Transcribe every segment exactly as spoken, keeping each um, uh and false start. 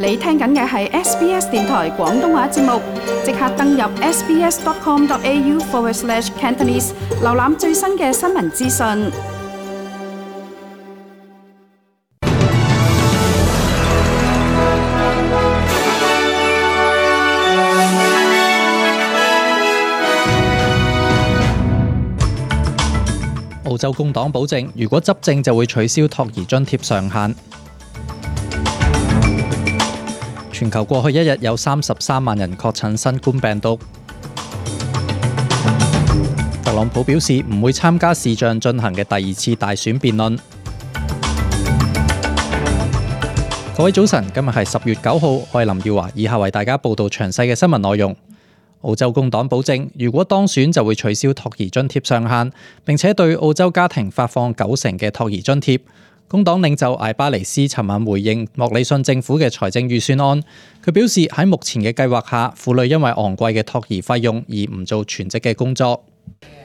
你聽緊嘅係 S B S 電台廣東話節目，即刻登入 sbs.com.au forward slash Cantonese， 瀏覽最新嘅新聞資訊。澳洲工黨保證，如果執政就會取消托兒津貼上限。全球過去一日有三十三萬人確診新冠病毒。特朗普表示唔會參加視像進行嘅第二次大選辯論。各位早晨，今日係十月九號，我係林耀華，以下為大家報道詳細嘅新聞內容。澳洲工黨保證，如果當選就會取消托兒津貼上限，並且對澳洲家庭發放九成嘅托兒津貼。工黨領袖艾巴尼斯尋晚回應莫里遜政府嘅財政預算案，佢表示喺目前嘅計劃下，婦女因為昂貴嘅托兒費用而唔做全職嘅工作。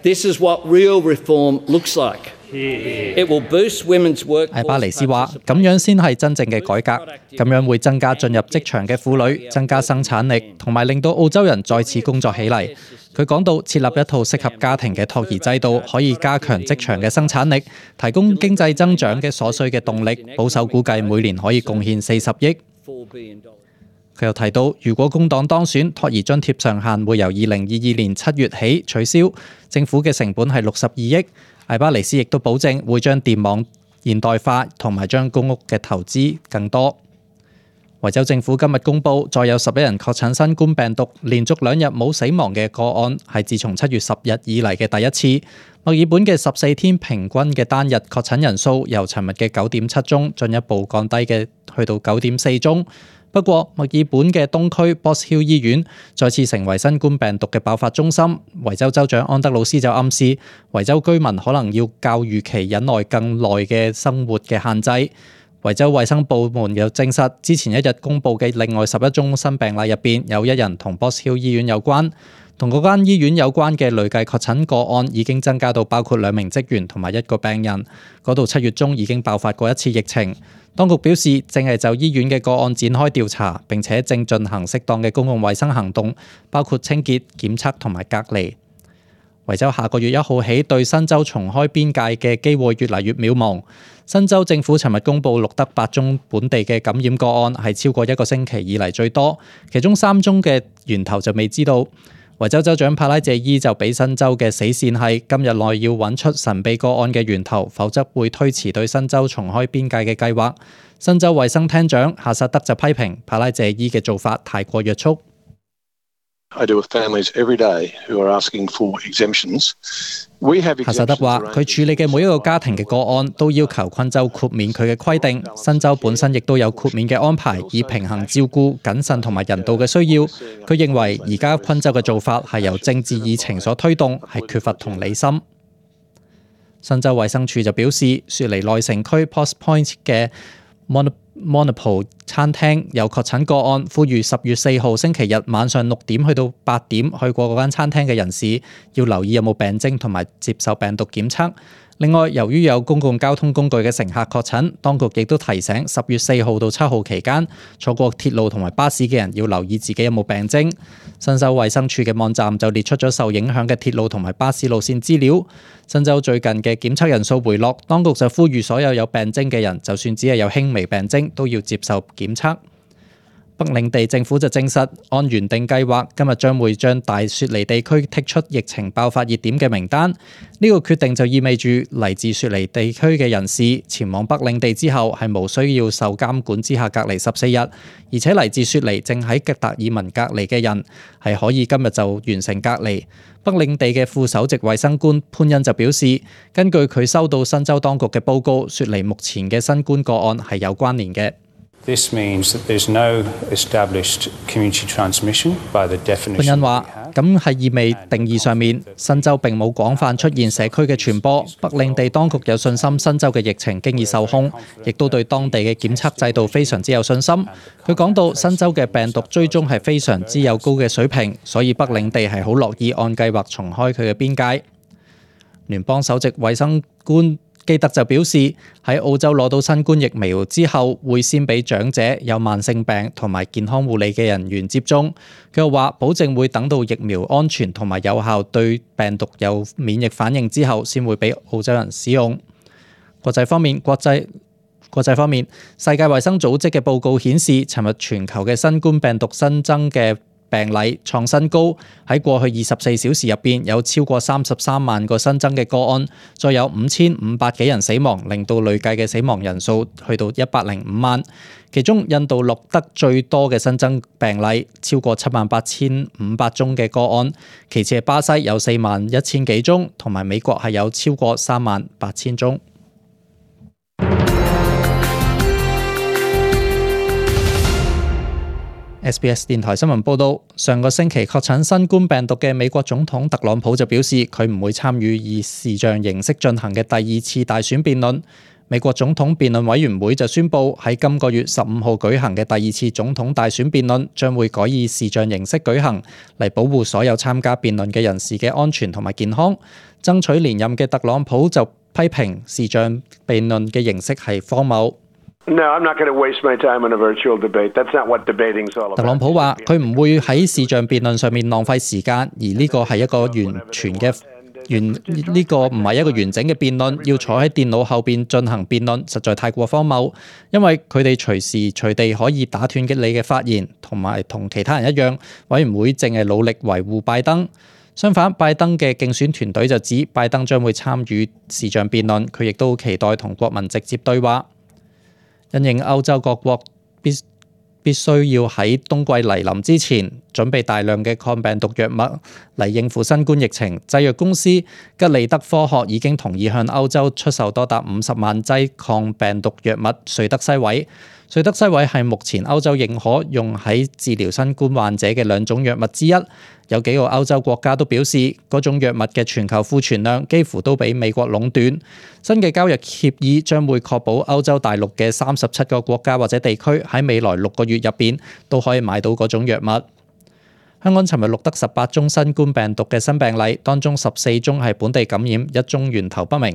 This is what real reform looks like. It will boost women's work. 艾巴尼斯話：咁樣先係真正嘅改革，咁樣會增加進入職場嘅婦女，增加生產力，同埋令到澳洲人再次工作起嚟。佢講到設立一套適合家庭嘅托兒制度，可以加強職場嘅生產力，提供經濟增長嘅所需嘅動力。保守估計每年可以貢獻四十億。佢又提到，如果工黨當選，托兒津貼上限會由二零二二年七月起取消，政府嘅成本係六十二億。艾巴尼斯亦都保證會將電網現代化，同埋將公屋嘅投資更多。維州政府今日公布，再有十一人確診新冠病毒，連續兩日冇死亡嘅個案，係自從七月十日以嚟嘅第一次。墨爾本嘅十四天平均嘅單日確診人數由尋日嘅九點七宗進一步降低嘅去到九點四宗。不過，墨爾本嘅東區 Box Hill 醫院再次成為新冠病毒嘅爆發中心。維州州長安德魯斯就暗示，維州居民可能要較預期忍耐更耐嘅生活嘅限制。維州衛生部門又證實，之前一日公佈嘅另外十一宗新病例入邊，有一人同 Box Hill 醫院有關。同嗰間醫院有關嘅累計確診個案已經增加到包括兩名職員同埋一個病人。嗰度七月中已經爆發過一次疫情。當局表示，正係就醫院嘅個案展開調查，並且正進行適當嘅公共衛生行動，包括清潔、檢測同埋隔離。維州下個月一號起對新州重開邊界嘅機會越嚟越渺茫。新州政府尋日公布錄得八宗本地嘅感染個案，係超過一個星期以嚟最多，其中三宗嘅源頭就未知道。維州州長帕拉謝伊就俾新州嘅死線係今日內要揾出神秘個案嘅源頭，否則會推遲對新州重開邊界嘅計劃。新州衛生廳長夏薩德就批評帕拉謝伊嘅做法太過約束。I deal with families every day who are asking for exemptions. We have exemptions. 夏薩德話：佢處理嘅每一個家庭嘅個案都要求昆州豁免佢嘅規定。新州本身亦都有豁免嘅安排，以平衡照顧、謹慎同埋人道嘅需要。佢認為而家昆州嘅做法係由政治議程所推動，係缺乏同理心。新州衛生署就表示，雪梨內城區 Post Point 嘅 Monopole 餐廳有確診個案，呼籲十月四號星期日晚上六點去到八點去過嗰間餐廳嘅人士要留意有冇病徵同埋接受病毒檢測。另外，由於有公共交通工具嘅乘客確診，當局亦都提醒十月四號到七號期間坐過鐵路同埋巴士嘅人要留意自己有冇病徵。新州衛生署嘅網站就列出咗受影響嘅鐵路同埋巴士路線資料。新州最近嘅檢測人數回落，當局就呼籲所有有病徵嘅人，就算只係有輕微病徵，都要接受檢測。北領地政府就證實，按原定計劃，今日將會將大雪梨地區剔出疫情爆發熱點嘅名單。呢個決定就意味住嚟自雪梨地區嘅人士前往北領地之後，係無需要受監管之下隔離十四日，而且嚟自雪梨正喺吉達爾文隔離嘅人，係可以今日就完成隔離。北領地嘅副首席衛生官潘恩就表示，根據佢收到新州當局嘅報告，雪梨目前嘅新冠個案係有關聯嘅。This means that there's no established community transmission by the definition. 潘恩話：咁係意味定義上面，新州並冇廣泛出現社區嘅傳播。北領地當局有信心新州嘅疫情經已受控，亦都對當地嘅檢測制度非常之有信心。佢講到新州嘅病毒追蹤係非常之有高嘅水平，所以北領地係好樂意按計劃重開佢嘅邊界。聯邦首席衛生官基特就表示，喺澳洲攞到新冠疫苗之後，會先俾長者、有慢性病同埋健康護理嘅人員接種。佢又話，保證會等到疫苗安全同埋有效，對病毒有免疫反應之後，先會俾澳洲人使用。國際方面，國際國際方面，世界衛生組織嘅報告顯示，尋日全球嘅新冠病毒新增嘅病例創新高，喺過去二十四小時入邊有超過三十三萬個新增嘅個案，再有五千五百幾人死亡，令到累計嘅死亡人數去到一百零五萬。其中印度錄得最多嘅新增病例，超過七萬八千五百宗嘅個案，其次係巴西有四萬一千幾宗，同埋美國係有超過三萬八千宗。S B S 電台新聞報道，上個星期確診新冠病毒嘅美國總統特朗普就表示，佢唔會參與以視像形式進行嘅第二次大選辯論。美國總統辯論委員會就宣布，喺今個月十五號舉行嘅第二次總統大選辯論將會改以視像形式舉行，嚟保護所有參加辯論嘅人士嘅安全同埋健康。爭取連任嘅特朗普就批評視像辯論嘅形式係荒謬。No, I'm not going to waste my time on a virtual debate. That's not what debating's all about. 特朗普話：佢唔會喺視像辯論上面浪費時間，而呢個係一個完全嘅完呢個唔係一個完整嘅辯論。要坐喺電腦後邊進行辯論，實在太過荒謬。因為佢哋隨時隨地可以打斷嘅你嘅發言，同埋同其他人一樣，委員會淨係努力維護拜登。相反，拜登嘅競選團隊就指拜登將會參與視像辯論，佢亦都期待同國民直接對話。因應歐洲各國必必須要喺冬季嚟臨之前準備大量嘅抗病毒藥物嚟應付新冠疫情，製藥公司吉利德科學已經同意向歐洲出售多達五十萬劑抗病毒藥物瑞德西韋。瑞德西韋係目前歐洲認可用喺治療新冠患者嘅兩種藥物之一。有幾個歐洲國家都表示，嗰種藥物嘅全球庫存量幾乎都俾美國壟斷。新嘅交易協議將會確保歐洲大陸嘅三十七個國家或者地區喺未來六個月入邊都可以買到嗰種藥物。香港尋日錄得十八宗新冠病毒嘅新病例，當中十四宗係本地感染，一宗源頭不明。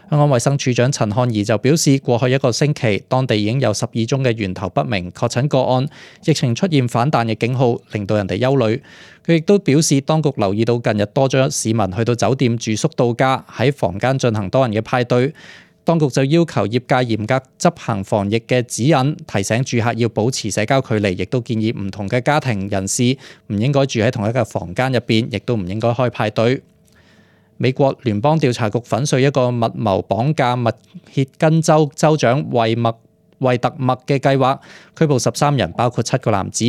香港衛生署長陳漢儀就表示，過去一個星期，當地已經有十二宗嘅源頭不明確診個案，疫情出現反彈嘅警號，令到人哋憂慮。佢亦都表示，當局留意到近日多咗市民去到酒店住宿度假，喺房間進行多人嘅派對。當局就要求業界嚴格執行防疫嘅指引，提醒住客要保持社交距離，亦都建議唔同嘅家庭人士唔應該住喺同一個房間入邊，亦都唔應該開派對。美國聯邦調查局粉碎一個密謀綁架密歇根州州長惠麥惠特默嘅計劃，拘捕十三人，包括七個男子。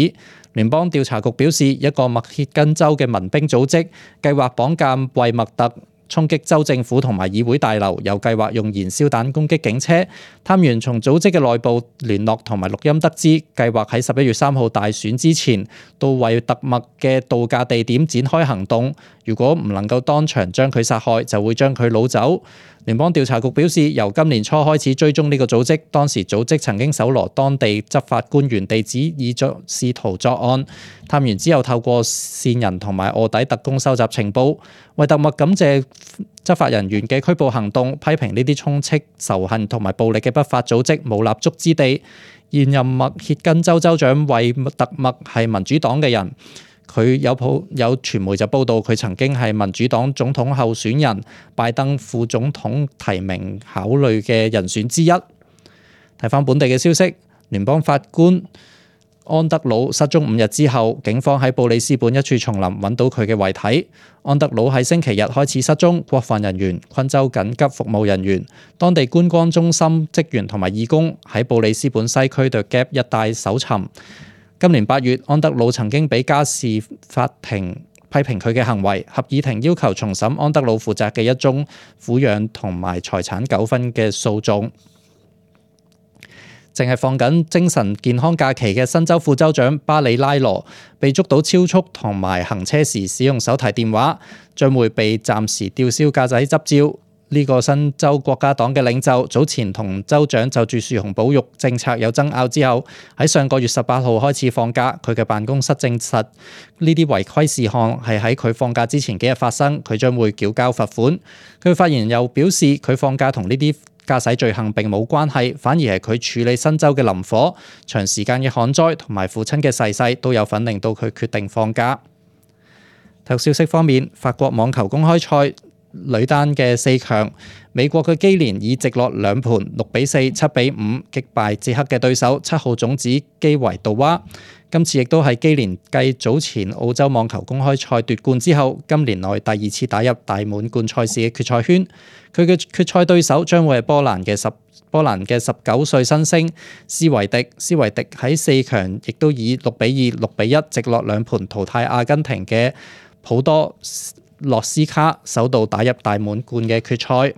聯邦調查局表示，一個密歇根州嘅民兵組織計劃綁架惠麥特，衝擊州政府同埋議會大樓，有計劃用燃燒彈攻擊警車。探員從組織嘅內部聯絡同埋錄音得知，計劃喺十一月三號大選之前到惠特默嘅度假地點展開行動。如果唔能夠當場將佢殺害，就會將佢擄走。聯邦調查局表示，由今年初開始追蹤呢個組織，當時組織曾經搜羅當地執法官員地址，以作試圖作案。探員之後透過線人同埋臥底特工收集情報。惠特默感謝執法人員嘅拘捕行動，批評呢啲充斥仇恨同埋暴力嘅不法組織冇立足之地。現任密歇根州州長惠特默係民主黨嘅人。佢有報有傳媒就報道，佢曾經係民主黨總統候選人拜登副總統提名考慮嘅人選之一。睇返本地嘅消息，聯邦法官安德魯失蹤五日之後，警方喺布里斯本一處叢林揾到佢嘅遺體。安德魯喺星期日開始失蹤，國防人員、昆州緊急服務人員、當地觀光中心職員同埋義工喺布里斯本西區對 Gap 一帶搜尋。今年八月，安德魯曾經俾家事法庭批評佢嘅行為，合議庭要求重審安德魯負責嘅一宗撫養同埋財產糾紛嘅訴訟。淨係放緊精神健康假期嘅新州副州長巴里拉羅被捉到超速同埋行車時使用手提電話，將會被暫時吊銷駕駛執照。呢個新州國家黨嘅領袖早前同州長就住樹熊保育政策有爭拗之後，喺上個月十八號開始放假。佢嘅辦公室證實呢啲違規事項係喺佢放假之前幾日發生，佢將會繳交罰款。佢發言人又表示，佢放假同呢啲駕駛罪行並冇關係，反而係佢處理新州嘅林火、長時間嘅旱災同埋父親嘅逝世都有份令到佢決定放假。體育消息方面，法國網球公開賽女單嘅四強，美國嘅基連以直落兩盤六比四、七比五擊敗捷克嘅對手七號種子基維杜娃。今次亦都係基連繼早前澳洲網球公開賽奪冠之後，今年內第二次打入大滿貫賽事嘅決賽圈。佢嘅決賽對手將會係波蘭嘅十波蘭嘅十九歲新星斯維迪。斯維迪喺四強亦都以六比二、六比一直落兩盤淘汰阿根廷嘅普多洛斯卡，首度打入大滿貫嘅決賽。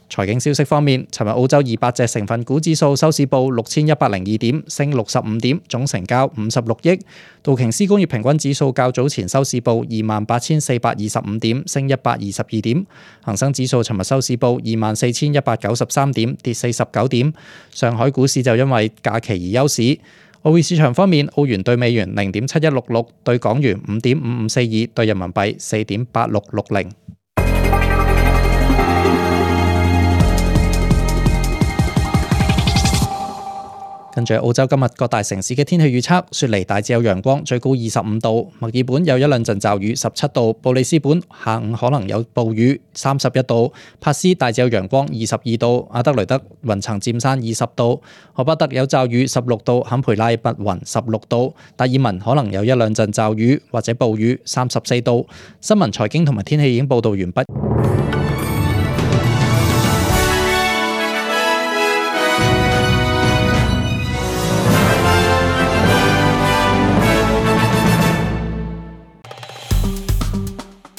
財經消息方面，尋日澳洲二百隻成分股指數收市報六千一百零二點，升六十五點，總成交五十六億。道瓊斯工業平均指數較早前收市報二萬八千四百二十五點，升一百二十二點。恒生指數尋日收市報二萬四千一百九十三點，跌四十九點。上海股市就因為假期而休市。外匯市場方面，澳元對美元零點七一六六，對港元五點五五四二，對人民幣四點八六六零。跟住澳洲今日各大城市嘅天氣預測：雪梨大致有陽光，最高二十五度；墨爾本有一兩陣驟雨，十七度；布里斯本下午可能有暴雨，三十一度；帕斯大致有陽光，二十二度；阿德雷德雲層漸散，二十度；荷巴特有驟雨，十六度；坎培拉密雲，十六度；達爾文可能有一兩陣驟雨或者暴雨，三十四度。新聞、財經同埋天氣已經報導完畢。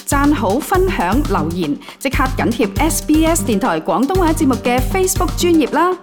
讚好、分享、留言，即刻緊貼 S B S 電台廣東話節目嘅 Facebook 專頁啦！